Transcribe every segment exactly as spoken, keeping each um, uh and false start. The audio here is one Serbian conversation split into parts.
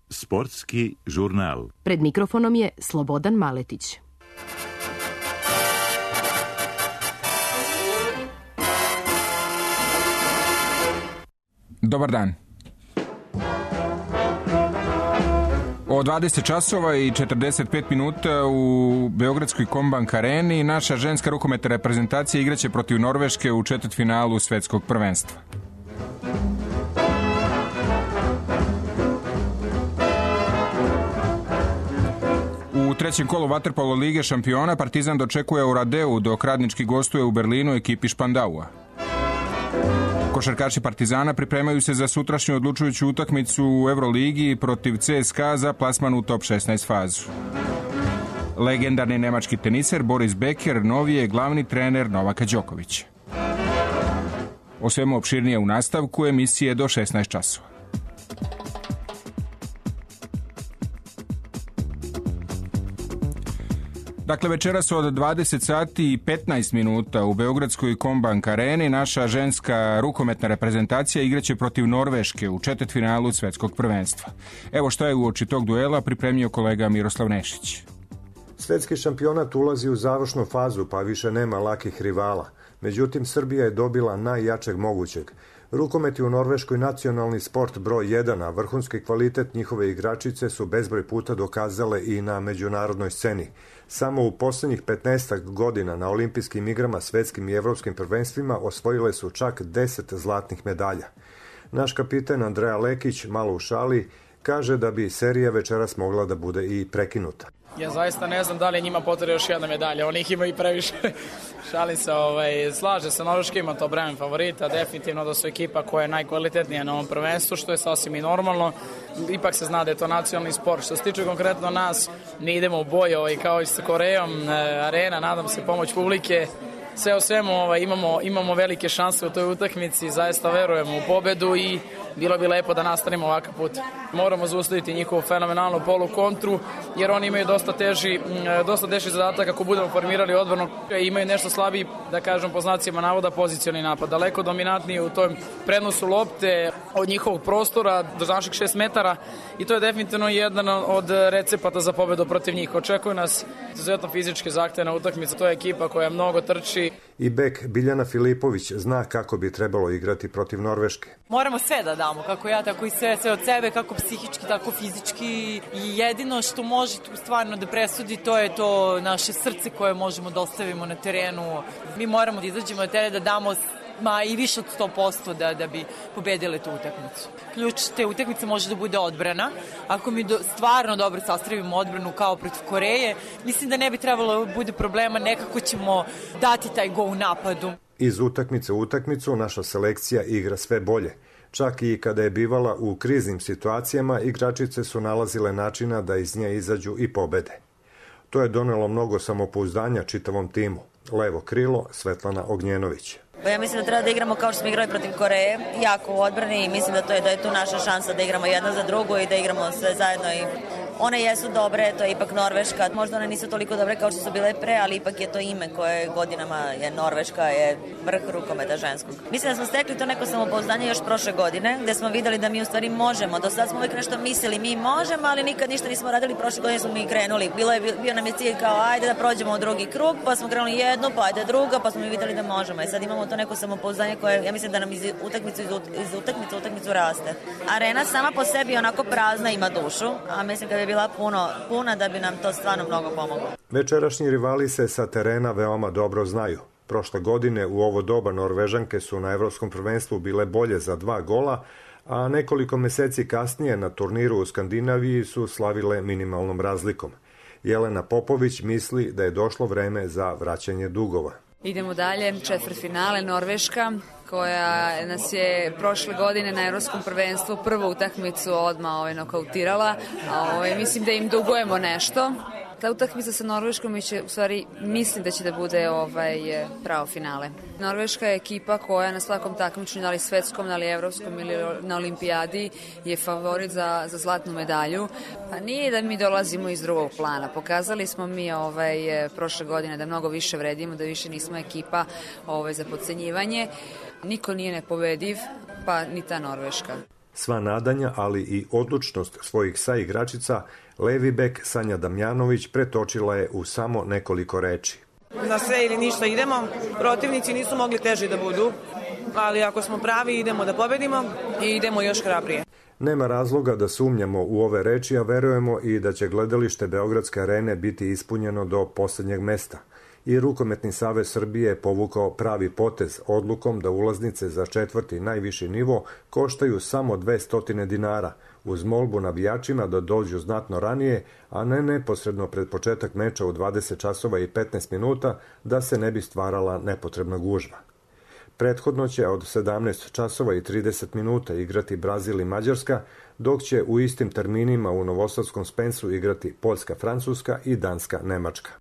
Sportski žurnal. Pred mikrofonom je Slobodan Maletić. Dobar dan. O dvadeset časova i četrdeset pet minuta u Beogradskoj Kombank areni naša ženska rukometna reprezentacija igraće protiv Norveške u četvrtfinalu svetskog prvenstva. U trećem kolu vaterpolo lige šampiona Partizan dočekuje u Radeu, dok Radnički gostuje u Berlinu ekipi Špandaua. Košarkaši Partizana pripremaju se za sutrašnju odlučujuću utakmicu u Euroligi protiv C S K A za plasman u top šesnaest fazu. Legendarni nemački teniser Boris Becker novi je glavni trener Novaka Đokovića. O svemu opširnije u nastavku emisije do šesnaest časova. Dakle, večeras od dvadeset sati i petnaest minuta u Beogradskoj Kombank areni naša ženska rukometna reprezentacija igraće protiv Norveške u četvrtfinalu svetskog prvenstva. Evo šta je uoči tog duela pripremio kolega Miroslav Nešić. Svetski šampionat ulazi u završnu fazu, pa više nema lakih rivala. Međutim, Srbija je dobila najjačeg mogućeg. Rukomet je u Norveškoj nacionalni sport broj jedan, a vrhunski kvalitet njihove igračice su bezbroj puta dokazale i na međunarodnoj sceni. Samo u poslednjih petnaest godina na olimpijskim igrama, svetskim i evropskim prvenstvima osvojile su čak deset zlatnih medalja. Naš kapiten Andreja Lekić, malo u šali, kaže da bi serija večeras mogla da bude i prekinuta. Ja zaista ne znam da li njima potrebna još jedna medalja, oni ih imaju i previše. Šalim se, ovaj, slaže se, Norveška ima to bremen favorita, definitivno da su ekipa koja je najkvalitetnija na ovom prvenstvu, što je sasvim i normalno. Ipak se zna da je to nacionalni sport. Što se tiče konkretno nas, mi idemo u boj ovaj, kao i sa Korejom, arena, nadam se pomoć publike. Sve o svemu ovaj, imamo, imamo velike šanse u toj utakmici, zaista verujemo u pobedu i bilo bi lepo da nastavimo ovakav put. Moramo zaustaviti njihovu fenomenalnu polukontru, jer oni imaju dosta teži, dosta teži zadatak ako budemo formirali odbranu. Imaju nešto slabiji, da kažem po znacima navoda, pozicioni napad. Daleko dominantniji u tom prenosu lopte od njihovog prostora do naših šest metara i to je definitivno jedan od recepata za pobedu protiv njih. Očekuje nas izuzetno fizičke zahtevna utakmica. To je ekipa koja mnogo trči. I bek Biljana Filipović zna kako bi trebalo igrati protiv Norveške. Moramo sve da damo, kako ja, tako i sve, sve od sebe, kako psihički, tako fizički. I jedino što može tu stvarno da presudi, to je to naše srce koje možemo da ostavimo na terenu. Mi moramo da izađemo na teren, da damo ma i više od sto posto da, da bi pobedile tu utakmicu. Ključ te utakmice može da bude odbrana. Ako mi do, stvarno dobro sastavimo odbranu kao protiv Koreje, mislim da ne bi trebalo bude problema, nekako ćemo dati taj go u napadu. Iz utakmice u utakmicu naša selekcija igra sve bolje. Čak i kada je bivala u kriznim situacijama, igračice su nalazile načina da iz nje izađu i pobede. To je donelo mnogo samopouzdanja čitavom timu. Levo krilo Svetlana Ognjenović. Ja mislim da treba da igramo kao što smo igrali protiv Koreje, jako u odbrani i mislim da to je da je tu naša šansa da igramo jedna za drugu i da igramo sve zajedno i one jesu dobre, to je ipak Norveška, možda one nisu toliko dobre kao što su bile pre, ali ipak je to ime koje godinama je Norveška, je vrh rukometa ženskog. Mislim da smo stekli to neko samopouzdanje još prošle godine, gde smo videli da mi u stvari možemo, do sad smo uvijek nešto mislili, mi možemo, ali nikad ništa nismo radili, prošle godine smo mi krenuli, bilo je, bio nam je cilj kao ajde da prođemo u drugi krug, pa smo krenuli jednu, pa ajde druga, pa smo mi videli da možemo i sad imamo to neko samopouzdanje koje, ja mislim da nam iz utakmicu iz, iz utakmicu utakmicu raste. Arena sama po sebi onako prazna, ima dušu, a mislim da bi bila puno, puna da bi nam to stvarno mnogo pomoglo. Večerašnji rivali se sa terena veoma dobro znaju. Prošle godine u ovo doba Norvežanke su na evropskom prvenstvu bile bolje za dva gola, a nekoliko meseci kasnije na turniru u Skandinaviji su slavile minimalnom razlikom. Jelena Popović misli da je došlo vreme za vraćanje dugova. Idemo dalje, četvrtfinale Norveška, koja nas je prošle godine na evropskom prvenstvu prvu utakmicu odmah ovaj, nokautirala. A, ovaj, mislim da im dugujemo nešto. Ta utakmica sa Norveškom će, u stvari, mislim da će da bude ovaj, pravo finale. Norveška je ekipa koja na svakom takmičenju, da li svetskom, da li evropskom ili na olimpijadi, je favorit za, za zlatnu medalju. Pa nije da mi dolazimo iz drugog plana. Pokazali smo mi ovaj, prošle godine da mnogo više vredimo, da više nismo ekipa ovaj, za podcenjivanje. Niko nije nepobediv, pa ni ta Norveška. Sva nadanja, ali i odlučnost svojih saigračica, levi bek Sanja Damjanović pretočila je u samo nekoliko reči. Na sve ili ništa idemo, protivnici nisu mogli teži da budu, ali ako smo pravi idemo da pobedimo i idemo još hrabrije. Nema razloga da sumnjamo u ove reči, a verujemo i da će gledalište Beogradske arene biti ispunjeno do poslednjeg mesta. I Rukometni savez Srbije je povukao pravi potez odlukom da ulaznice za četvrti najviši nivo koštaju samo dvesta dinara, uz molbu navijačima da dođu znatno ranije, a ne neposredno pred početak meča u dvadeset časova i petnaest minuta, da se ne bi stvarala nepotrebna gužva. Prethodno će od sedamnaest časova i trideset minuta igrati Brazil i Mađarska, dok će u istim terminima u novosadskom Spensu igrati Poljska, Francuska i Danska, Nemačka.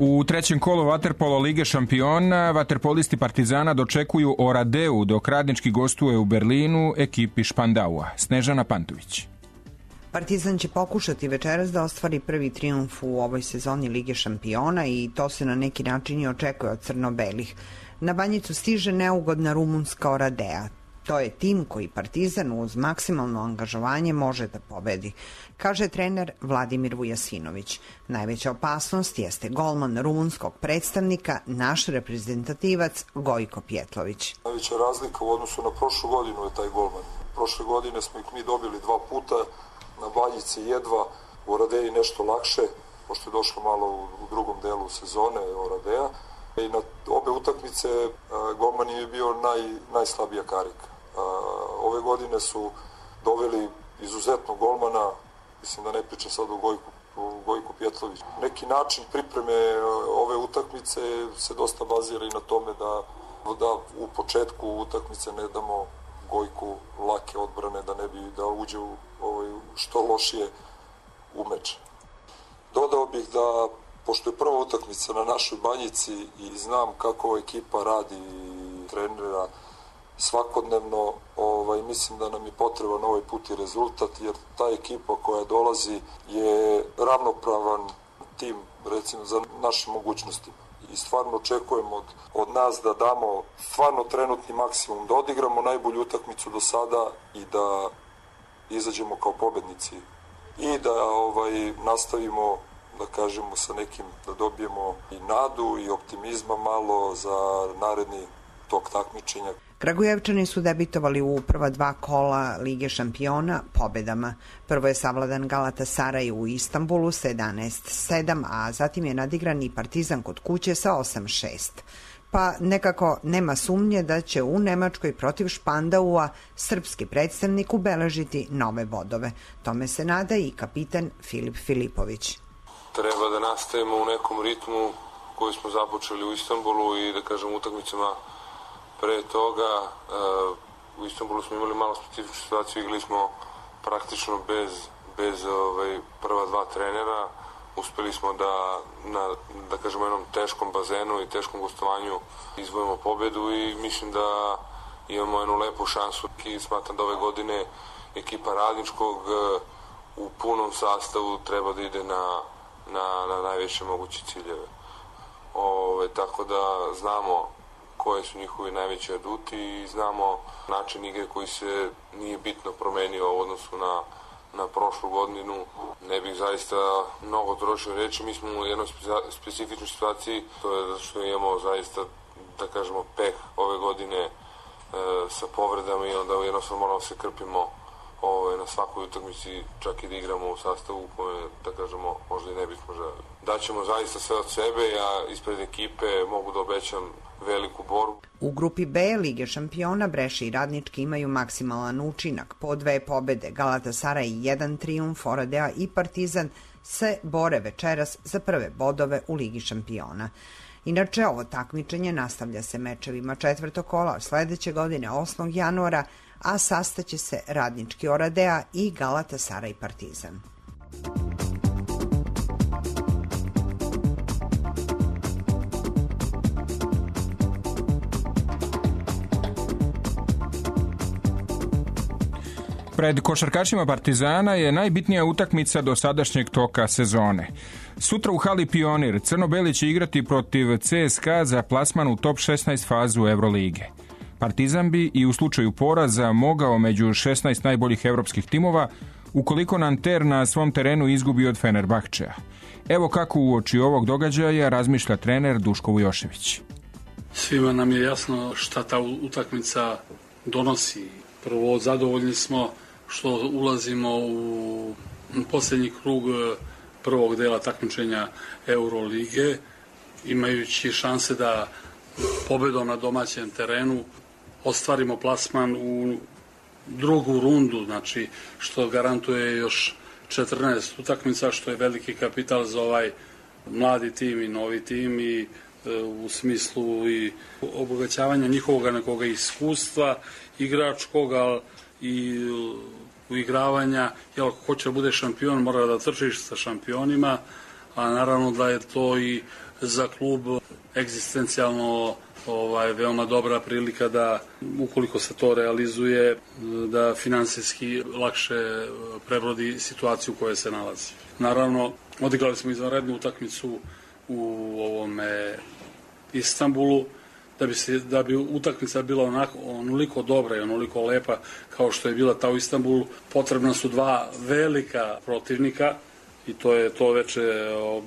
U trećem kolu vaterpolo Lige šampiona vaterpolisti Partizana dočekuju Oradeu, dok radnički gostuje u Berlinu ekipi Špandaua. Snežana Pantović. Partizan će pokušati večeras da ostvari prvi trijumf u ovoj sezoni Lige šampiona i to se na neki način i očekuje od crno-belih. Na Banjicu stiže neugodna rumunska Oradea. To je tim koji Partizan uz maksimalno angažovanje može da pobedi, kaže trener Vladimir Vujasinović. Najveća opasnost jeste golman rumunskog predstavnika, naš reprezentativac Gojko Pjetlović. Najveća razlika u odnosu na prošlu godinu je taj golman. Prošle godine smo ih mi dobili dva puta, na Banjici jedva, u Oradeji nešto lakše, pošto je došlo malo u drugom delu sezone Oradea. I na obe utakmice golman je bio naj, najslabija karika. Ove godine su doveli izuzetno golmana, mislim da ne pričam sad o Gojku, o Gojku Pjetloviću. Neki način pripreme ove utakmice se dosta bazira i na tome da, da u početku utakmice ne damo Gojku lake odbrane, da ne bi da uđe u ovaj, što lošije u meč. Dodao bih da, pošto je prva utakmica na našoj Banjici i znam kako ekipa radi i trenera svakodnevno, ovaj, mislim da nam je potreban ovaj put i rezultat, jer ta ekipa koja dolazi je ravnopravan tim, recimo, za naše mogućnosti. I stvarno očekujemo od, od nas da damo stvarno trenutni maksimum, da odigramo najbolju utakmicu do sada i da izađemo kao pobednici. I da ovaj, nastavimo, da kažemo, sa nekim, da dobijemo i nadu i optimizma malo za naredni tok takmičenja. Kragujevčani su debitovali u prva dva kola Lige šampiona pobedama. Prvo je savladan Galatasaraj u Istanbulu sa jedanaest sedam, a zatim je nadigran i Partizan kod kuće sa osam šest. Pa nekako nema sumnje da će u Nemačkoj protiv Špandaua srpski predstavnik ubeležiti nove bodove. Tome se nada i kapitan Filip Filipović. Treba da nastavimo u nekom ritmu koji smo započeli u Istanbulu i da kažem utakmicama pre toga. U Istanbulu smo imali malo specifičnu situaciju, igrali smo praktično bez, bez ovaj, prva dva trenera. Uspeli smo da, na, da kažemo, jednom teškom bazenu i teškom gostovanju izvojimo pobedu i mislim da imamo jednu lepu šansu. I smatram da ove godine ekipa radničkog u punom sastavu treba da ide na, na, na najveće moguće ciljeve. Ove, tako da znamo koje su njihovi najveći aduti i znamo način igre koji se nije bitno promenio u odnosu na, na prošlu godinu. Ne bih zaista mnogo trošio reći, mi smo u jednoj specifičnoj situaciji, to je zato što imamo zaista, da kažemo, peh ove godine e, sa povredama i onda jednostavno moramo se krpimo ove, na svakoj utakmici, čak i da igramo u sastavu koje, da kažemo, možda i ne bismo želeli. daćemo zaista sve od sebe, ja ispred ekipe mogu da obećam veliku borbu. U grupi B Lige šampiona Breša i Radnički imaju maksimalan učinak, po dve pobede, Galatasaray i jedan trijumf, Oradea i Partizan se bore večeras za prve bodove u Ligi šampiona. Inače, ovo takmičenje nastavlja se mečevima četvrtog kola sledeće godine osmog januara, a sastaće se Radnički Oradea i Galatasaray Partizan. Pred košarkašima Partizana je najbitnija utakmica do sadašnjeg toka sezone. Sutra u hali Pionir crno-beli će igrati protiv C S K A za plasman u top šesnaest fazu Evrolige. Partizan bi i u slučaju poraza mogao među šesnaest najboljih evropskih timova ukoliko Nanter na svom terenu izgubi od Fenerbahčea. Evo kako uoči ovog događaja razmišlja trener Duško Vujošević. Svima nam je jasno šta ta utakmica donosi. Prvo, zadovoljni smo što ulazimo u posljednji krug prvog dela takmičenja Eurolige, imajući šanse da pobedom na domaćem terenu ostvarimo plasman u drugu rundu, znači što garantuje još četrnaest utakmica, što je veliki kapital za ovaj mladi tim i novi tim i u smislu i obogaćavanja njihovog nekoga iskustva igračkoga i uigravanja, jer ako hoće da bude šampion mora da trčiš sa šampionima, a naravno da je to i za klub egzistencijalno ovaj, veoma dobra prilika da, ukoliko se to realizuje, da finansijski lakše prebrodi situaciju u kojoj se nalazi. Naravno, odigrali smo izvanrednu utakmicu u ovome Istanbulu, da bi, se, da bi utakmica bila onako, onoliko dobra i onoliko lepa kao što je bila ta u Istanbulu, potrebna su dva velika protivnika i to je to veče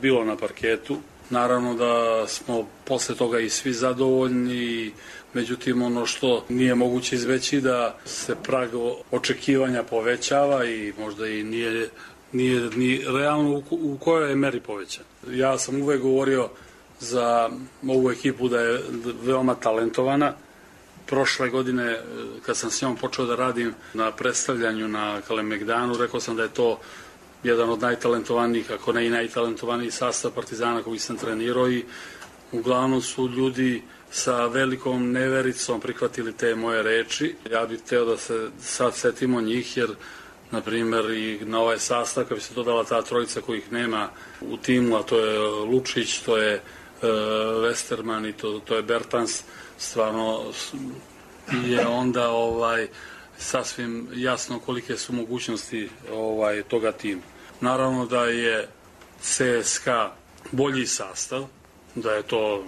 bilo na parketu. Naravno da smo posle toga i svi zadovoljni, međutim ono što nije moguće izbeći da se prag očekivanja povećava i možda i nije, nije ni realno u, u kojoj je meri povećan. Ja sam uvek govorio za ovu ekipu da je veoma talentovana. Prošle godine, kad sam s njom počeo da radim na predstavljanju na Kalemegdanu, rekao sam da je to jedan od najtalentovanijih, ako ne i najtalentovaniji sastav Partizana koji sam trenirao i uglavnom su ljudi sa velikom nevericom prihvatili te moje reči. Ja bih hteo da se sad setimo njih, jer na primjer i na ovaj sastav, kad bi se dodala ta trojica kojih nema u timu, a to je Lučić, to je Westerman i to, to je Bertans, stvarno je onda ovaj sasvim jasno kolike su mogućnosti ovaj toga tima. Naravno da je C S K A bolji sastav, da je to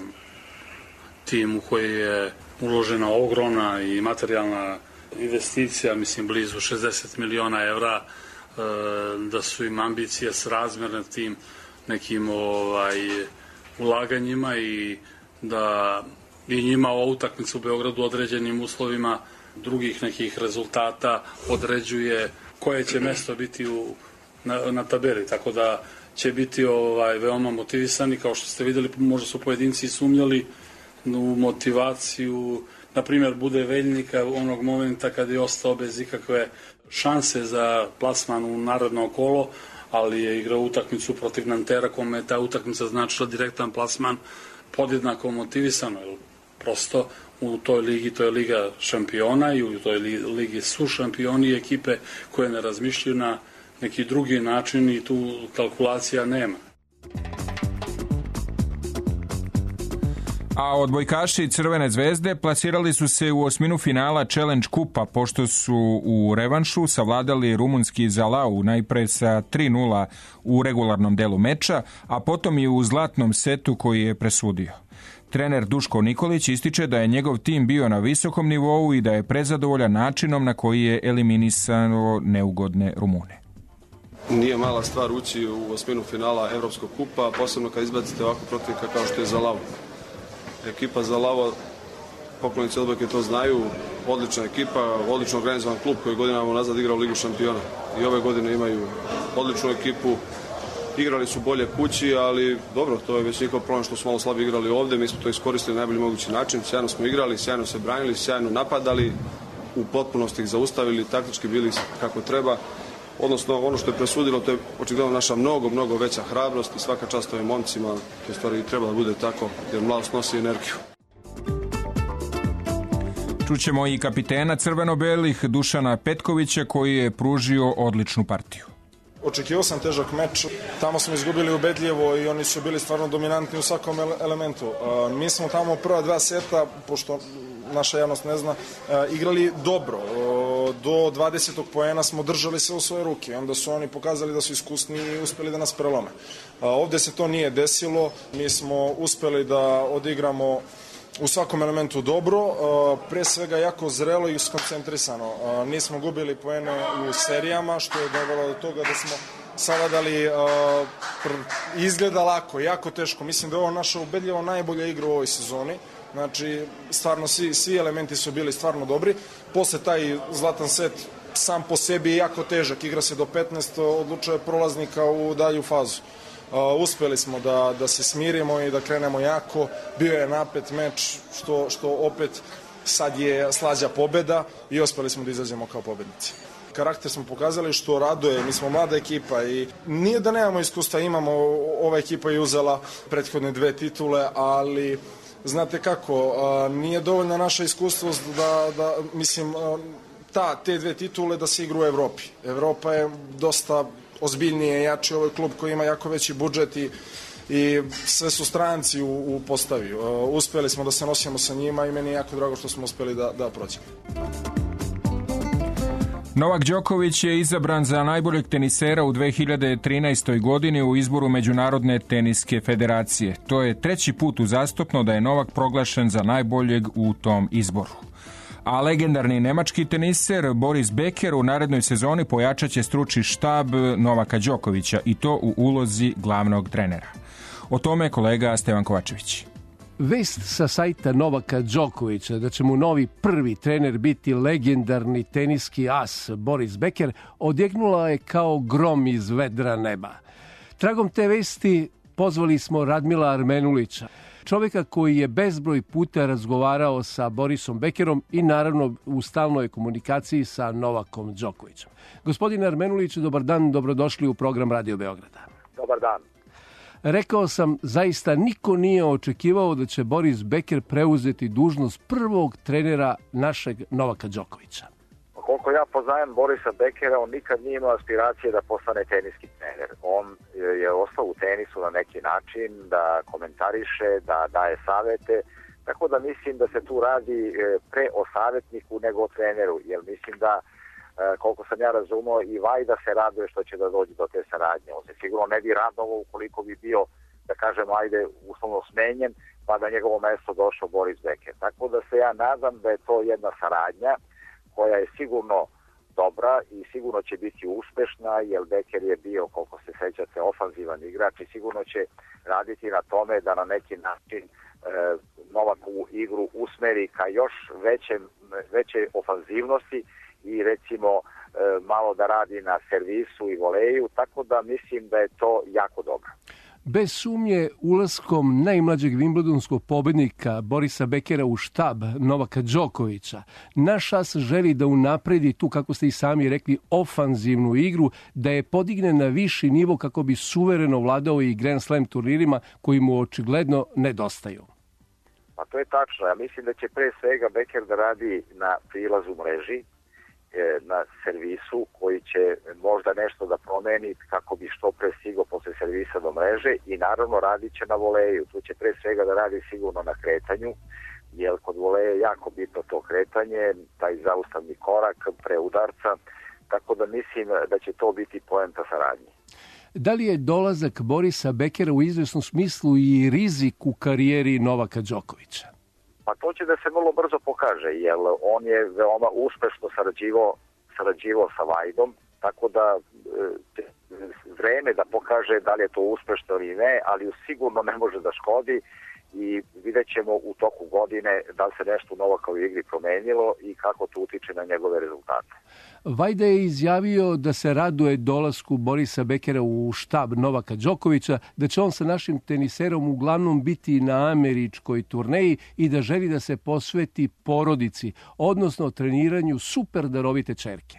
tim u koji je uložena ogromna i materijalna investicija, mislim blizu šezdeset miliona evra, da su im ambicije srazmerne tim nekim ovaj ulaganjima i da i njima ova utakmica u Beogradu određenim uslovima drugih nekih rezultata određuje koje će mesto biti u, na, na tabeli, tako da će biti ovaj veoma motivisani, kao što ste videli, možda su pojedinci sumnjali u motivaciju, na primjer bude Veljnika onog momenta kad je ostao bez ikakve šanse za plasman u naredno kolo, ali je igrao utakmicu protiv Nantera, kome je ta utakmica značila direktan plasman, podjednako motivisano, jer prosto u toj ligi, to je Liga šampiona i u toj ligi su šampioni i ekipe koje ne razmišljaju na neki drugi način i tu kalkulacija nema. A odbojkaši Crvene zvezde plasirali su se u osminu finala Challenge kupa, pošto su u revanšu savladali rumunski Zalau najpre sa tri nula u regularnom delu meča, a potom i u zlatnom setu koji je presudio. Trener Duško Nikolić ističe da je njegov tim bio na visokom nivou i da je prezadovoljan načinom na koji je eliminisano neugodne Rumune. Nije mala stvar ući u osminu finala Evropskog kupa, posebno kad izbacite ovako protivnika kao što je Zalau. Ekipa Zalava, poklonici odbojke to znaju, odlična ekipa, odlično organizovan klub koji godinama nazad igra u Ligu šampiona. I ove godine imaju odličnu ekipu, igrali su bolje kući, ali dobro, to je već njihov problem što smo malo slabo igrali ovde, mi smo to iskoristili na najbolji mogući način, sjajno smo igrali, sjajno se branili, sjajno napadali, u potpunosti ih zaustavili, taktički bili kako treba. Odnosno, ono što je presudilo, to je očigledno naša mnogo, mnogo veća hrabrost i svaka čast ovim momcima, to je stvari treba da bude tako, jer mladost nosi energiju. Čućemo i kapitena crveno-belih Dušana Petkovića koji je pružio odličnu partiju. Očekivao sam težak meč, tamo smo izgubili ubedljivo i oni su bili stvarno dominantni u svakom elementu. Mi smo tamo prva dva seta, pošto naša javnost ne zna, igrali dobro. Do dvadesetog poena smo držali se u svoje ruke, onda su oni pokazali da su iskusni i uspeli da nas prelome. Ovde se to nije desilo, mi smo uspeli da odigramo u svakom elementu dobro, pre svega jako zrelo i skoncentrisano. Nismo gubili poene u serijama, što je dovelo do toga da smo savladali, izgleda lako, jako teško. Mislim da je ovo naša ubedljivo najbolja igra u ovoj sezoni. Znači, stvarno svi, svi elementi su bili stvarno dobri. Posle taj zlatan set sam po sebi je jako težak, igra se do petnaest, odlučuje prolaznika u dalju fazu. Uh, uspeli smo da, da se smirimo i da krenemo jako, bio je napet meč, što, što opet sad je slađa pobeda i uspeli smo da izađemo kao pobednici. Karakter smo pokazali što raduje, mi smo mlada ekipa i nije da nemamo iskustva, imamo, ova ekipa je uzela prethodne dve titule, ali znate kako, uh, nije dovoljna naša iskustvost da, da mislim, uh, ta, te dve titule da se igra u Evropi. Evropa je dosta ozbiljnije, jači ovaj klub koji ima jako veći budžet i, i sve su stranci u, u postavi. Uh, uspeli smo da se nosimo sa njima i meni je jako drago što smo uspeli da, da prođemo. Novak Đoković je izabran za najboljeg tenisera u dve hiljade trinaestoj. godini u izboru Međunarodne teniske federacije. To je treći put uzastopno da je Novak proglašen za najboljeg u tom izboru. A legendarni nemački teniser Boris Becker u narednoj sezoni pojačaće stručni štab Novaka Đokovića i to u ulozi glavnog trenera. O tome kolega Stevan Kovačević. Vest sa sajta Novaka Đokovića da će mu novi prvi trener biti legendarni teniski as Boris Becker odjeknula je kao grom iz vedra neba. Tragom te vesti pozvali smo Radmila Armenulića, čovjeka koji je bezbroj puta razgovarao sa Borisom Beckerom i naravno u stalnoj komunikaciji sa Novakom Đokovićem. Gospodine Armenuliću, dobar dan, dobrodošli u program Radio Beograda. Dobar dan. Rekao sam, zaista niko nije očekivao da će Boris Becker preuzeti dužnost prvog trenera našeg Novaka Đokovića. Koliko ja poznajem Borisa Beckera, on nikad nije imao aspiracije da postane teniski trener. On je ostao u tenisu na neki način, da komentariše, da daje savete, tako da mislim da se tu radi pre o savjetniku nego o treneru, jer mislim da, koliko sam ja razumio, i Vajda se raduje što će da dođe do te saradnje. On se sigurno ne bi radovao ukoliko bi bio, da kažem, ajde, uslovno smenjen, pa da njegovo mesto došao Boris Becker. Tako da se ja nadam da je to jedna saradnja koja je sigurno dobra i sigurno će biti uspešna, jer Becker je bio, koliko se sećate, ofanzivan igrač i sigurno će raditi na tome da na neki način e, Novakovu igru usmeri ka još većem, veće ofanzivnosti i recimo e, malo da radi na servisu i voleju, tako da mislim da je to jako dobro. Bez sumnje, ulaskom najmlađeg wimbledonskog pobednika Borisa Beckera u štab Novaka Đokovića, naš as želi da unapredi tu, kako ste i sami rekli, ofanzivnu igru, da je podigne na viši nivo kako bi suvereno vladao i Grand Slam turnirima koji mu očigledno nedostaju. Pa to je tačno. Ja mislim da će pre svega Becker da radi na prilazu mreži, na servisu koji će možda nešto da promeni kako bi što pre stigao posle servisa do mreže i naravno radit će na voleju. Tu će pre svega da radi sigurno na kretanju, jer kod voleja je jako bitno to kretanje, taj zaustavni korak pre udarca, tako da mislim da će to biti poenta saradnje. Da li je dolazak Borisa Beckera u izvesnom smislu i rizik u karijeri Novaka Đokovića? Pa to će da se vrlo brzo pokaže, jer on je veoma uspešno sarađivao, sarađivao sa Vajdom, tako da e, vreme da pokaže da li je to uspešno ili ne, ali sigurno ne može da škodi, i vidjet ćemo u toku godine da li se nešto u Novakovoj igri promenilo i kako to utiče na njegove rezultate. Vajda je izjavio da se raduje dolasku Borisa Bekera u štab Novaka Đokovića, da će on sa našim teniserom uglavnom biti na američkoj turneji i da želi da se posveti porodici, odnosno treniranju super darovite ćerke.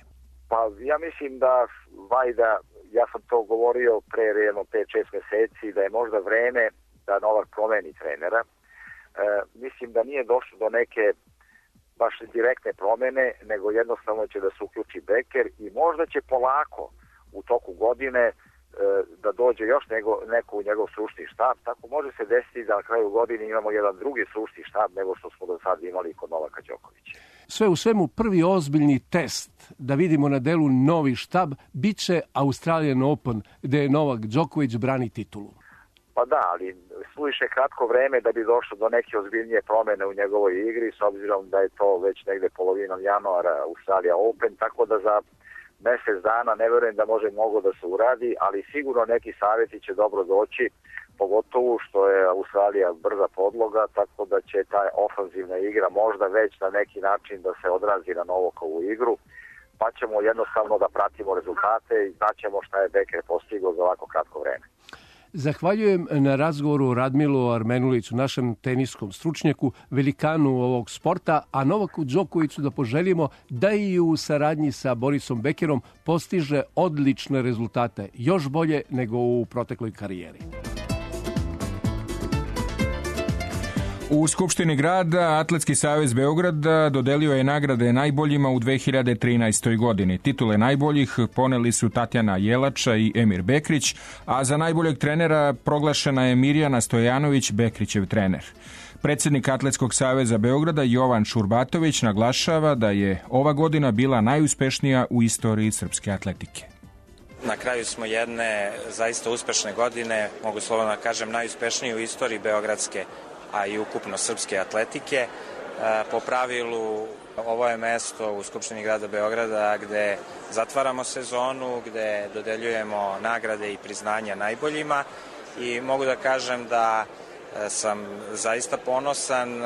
Pa ja mislim da Vajda, ja sam to govorio pre jedno pet šest meseci, da je možda vreme da Novak promeni trenera. E, mislim da nije došlo do neke baš direktne promene, nego jednostavno će da se uključi Beker i možda će polako u toku godine e, da dođe još nego, neko u njegov stručni štab. Tako može se desiti da na kraju godine imamo jedan drugi stručni štab nego što smo do sad imali kod Novaka Đokovića. Sve u svemu, prvi ozbiljni test da vidimo na delu novi štab bit će Australian Open, gde je Novak Đoković brani titulu. Pa da, ali suviše kratko vreme da bi došlo do neke ozbiljnije promene u njegovoj igri, s obzirom da je to već negde polovinom januara Australia Open, tako da za mesec dana ne verujem da može mnogo da se uradi, ali sigurno neki savjeti će dobro doći, pogotovo što je Australija brza podloga, tako da će ta ofanzivna igra možda već na neki način da se odrazi na Novakovu igru, pa ćemo jednostavno da pratimo rezultate i znaćemo šta je Beker postigao za ovako kratko vreme. Zahvaljujem na razgovoru Radmilu Armenuliću, našem teniskom stručnjaku, velikanu ovog sporta, a Novaku Đokoviću da poželimo da i u saradnji sa Borisom Bekerom postiže odlične rezultate, još bolje nego u protekloj karijeri. U Skupštini grada Atletski savez Beograda dodelio je nagrade najboljima u dve hiljade trinaestoj godini. Titule najboljih poneli su Tatjana Jelača i Emir Bekrić, a za najboljeg trenera proglašena je Mirjana Stojanović, Bekrićev trener. Predsjednik Atletskog saveza Beograda Jovan Šurbatović naglašava da je ova godina bila najuspešnija u istoriji srpske atletike. Na kraju smo jedne zaista uspešne godine, mogu slobodno da kažem najuspešnije u istoriji beogradske, a i ukupno srpske atletike. Po pravilu, ovo je mesto u Skupštini grada Beograda gde zatvaramo sezonu, gde dodeljujemo nagrade i priznanja najboljima i mogu da kažem da sam zaista ponosan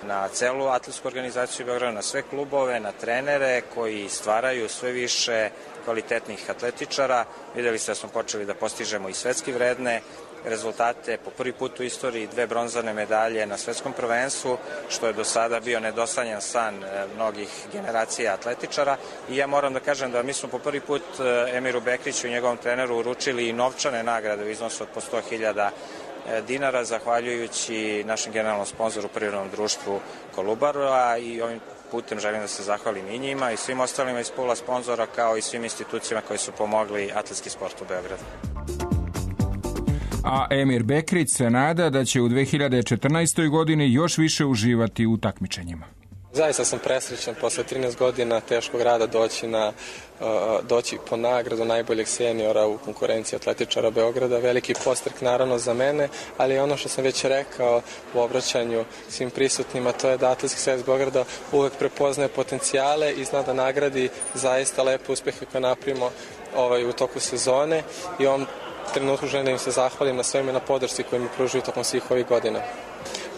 na celu atletsku organizaciju Beograda, na sve klubove, na trenere koji stvaraju sve više kvalitetnih atletičara. Videli ste da smo počeli da postižemo i svetski vredne rezultate, po prvi put u istoriji dve bronzane medalje na svetskom prvenstvu, što je do sada bio nedosanjan san mnogih generacija atletičara. I ja moram da kažem da mi smo po prvi put Emiru Bekriću i njegovom treneru uručili i novčane nagrade u iznosu od po sto hiljada dinara, zahvaljujući našem generalnom sponzoru Privrednom društvu Kolubara, i ovim putem želim da se zahvalim i njima i svim ostalima iz pula sponzora, kao i svim institucijama koji su pomogli atletski sport u Beogradu. A Emir Bekrić se nada da će u dve hiljade četrnaestoj godini još više uživati u takmičenjima. Zaista sam presrećan posle trinaest godina teškog rada doći, na, doći po nagradu najboljeg seniora u konkurenciji atletičara Beograda. Veliki postrek naravno za mene, ali ono što sam već rekao u obraćanju svim prisutnima, to je da Atletski savez Beograda uvek prepoznaje potencijale i zna da nagradi zaista lepe uspehe koje napravimo ovaj, u toku sezone, i ovom trenutku želim da im se zahvalim na sveme na podršci koju mi pružuju tokom svih ovih godina.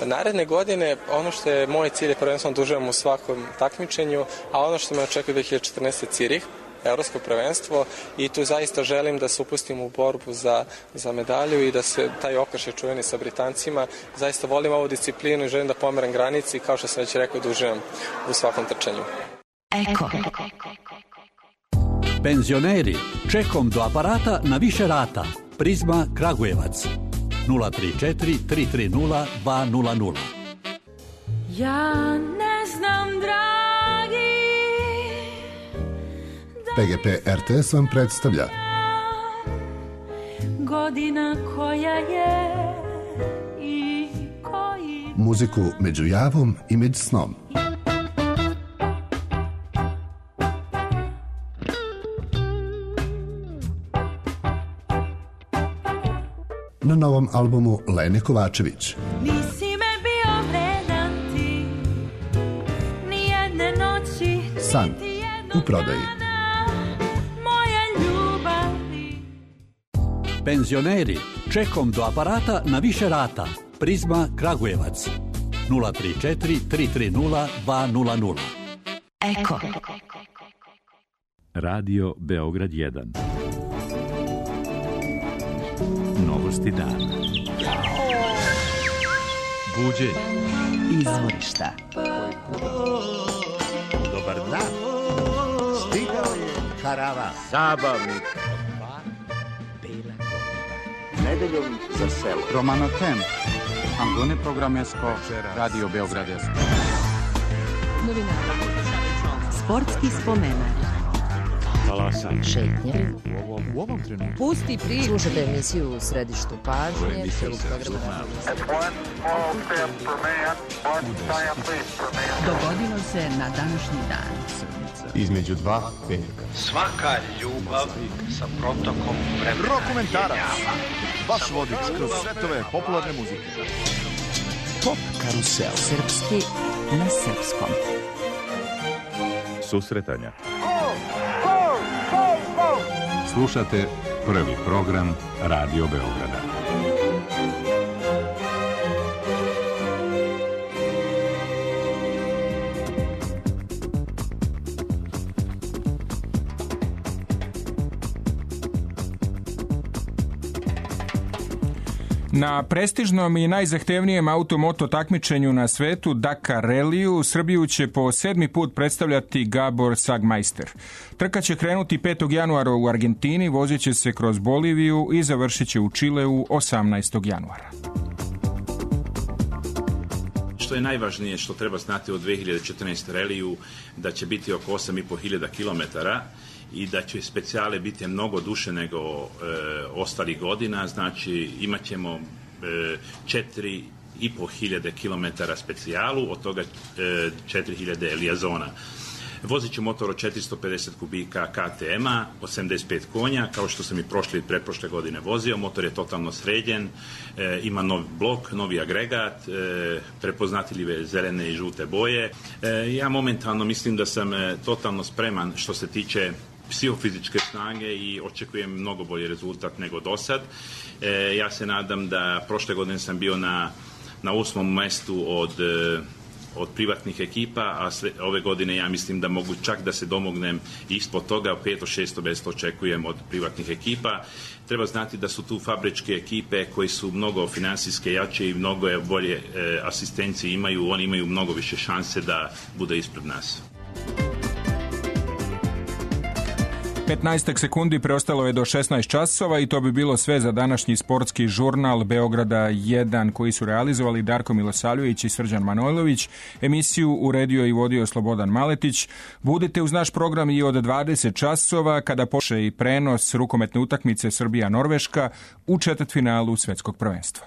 Naredne godine, ono što je moj cilj je prvenstveno da uživam u svakom takmičenju, a ono što me očekuje dve hiljade četrnaeste. Cirih, evropsko prvenstvo, i tu zaista želim da se upustim u borbu za, za medalju i da se taj okršaj čuveni sa Britancima. Zaista volim ovu disciplinu i želim da pomeram granici, kao što sam već rekao, da uživam u svakom trčanju. Eko. Penzioneri, čekom do aparata na više rata. Prizma Kragujevac. nula tri četiri tri tri nula dva nula nula. Ja ne znam, dragi, P G P R T S vam predstavlja godina koja je i koji... muziku među javom i među snom. Na novom albumu Lene Kovačević. Nisi me bio vredan ti, nijedne noći, San u prodaji. Moje ljubavi. Penzioneri, čekom do aparata na više rata. Prizma Kragujevac nula tri četiri tri tri nula dva nula nula. Eko. Radio Beograd jedan. Novosti dana. Buđenje. Izvorišta. Dobar dan. Stigao je karavan. Zabavnik. Nedeljom za selo. Romano Tem. Angone Programesko. Radio Beograd. Novinari. Sportski spomenak. Talasan. Šetnje. U ovom, u ovom trenutku. Pusti priču. Slušajte emisiju u središtu pažnje. Dogodilo se na današnji dan. Između dva petka. Svaka ljubav sa protokom vremena. Rokomentarac. Vaš vodič kroz svetove popularne muzike. Pop karusel. Srpski na srpskom. Susretanja. Slušate prvi program Radio Beograda. Na prestižnom i najzahtevnijem automoto takmičenju na svetu, Dakar Ralliju, Srbiju će po sedmi put predstavljati Gabor Sagmeister. Trka će krenuti petog januara u Argentini, vozit će se kroz Boliviju i završit će u Čileu osamnaestog januara. Što je najvažnije što treba znati od dve hiljade četrnaeste Ralliju, da će biti oko osam i po hiljada kilometara i da će specijale biti mnogo duše nego e, ostalih godina, znači imat ćemo e, četiri i po hiljade kilometara specijalu, od toga e, četiri hiljade Liazona. Vozit će motor od četiristo pedeset kubika K T M-a, osamdeset pet konja, kao što sam i prošle i pretprošle godine vozio. Motor je totalno sređen, e, ima novi blok, novi agregat, e, prepoznatljive zelene i žute boje. E, ja momentalno mislim da sam e, totalno spreman što se tiče psihofizičke snage i očekujem mnogo bolji rezultat nego do sad. E, ja se nadam da prošle godine sam bio na, na osmom mestu od, od privatnih ekipa, a sve, ove godine ja mislim da mogu čak da se domognem ispod toga, peto, šesto mesto očekujem od privatnih ekipa. Treba znati da su tu fabričke ekipe koji su mnogo finansijske jače i mnogo bolje e, asistencije imaju, oni imaju mnogo više šanse da bude ispred nas. petnaest sekundi preostalo je do šesnaest časova i to bi bilo sve za današnji sportski žurnal Beograda jedan koji su realizovali Darko Milosavljević i Srđan Manojlović. Emisiju uredio i vodio Slobodan Maletić. Budite uz naš program i od dvadeset časova kada počne i prenos rukometne utakmice Srbija-Norveška u četvrtfinalu svetskog prvenstva.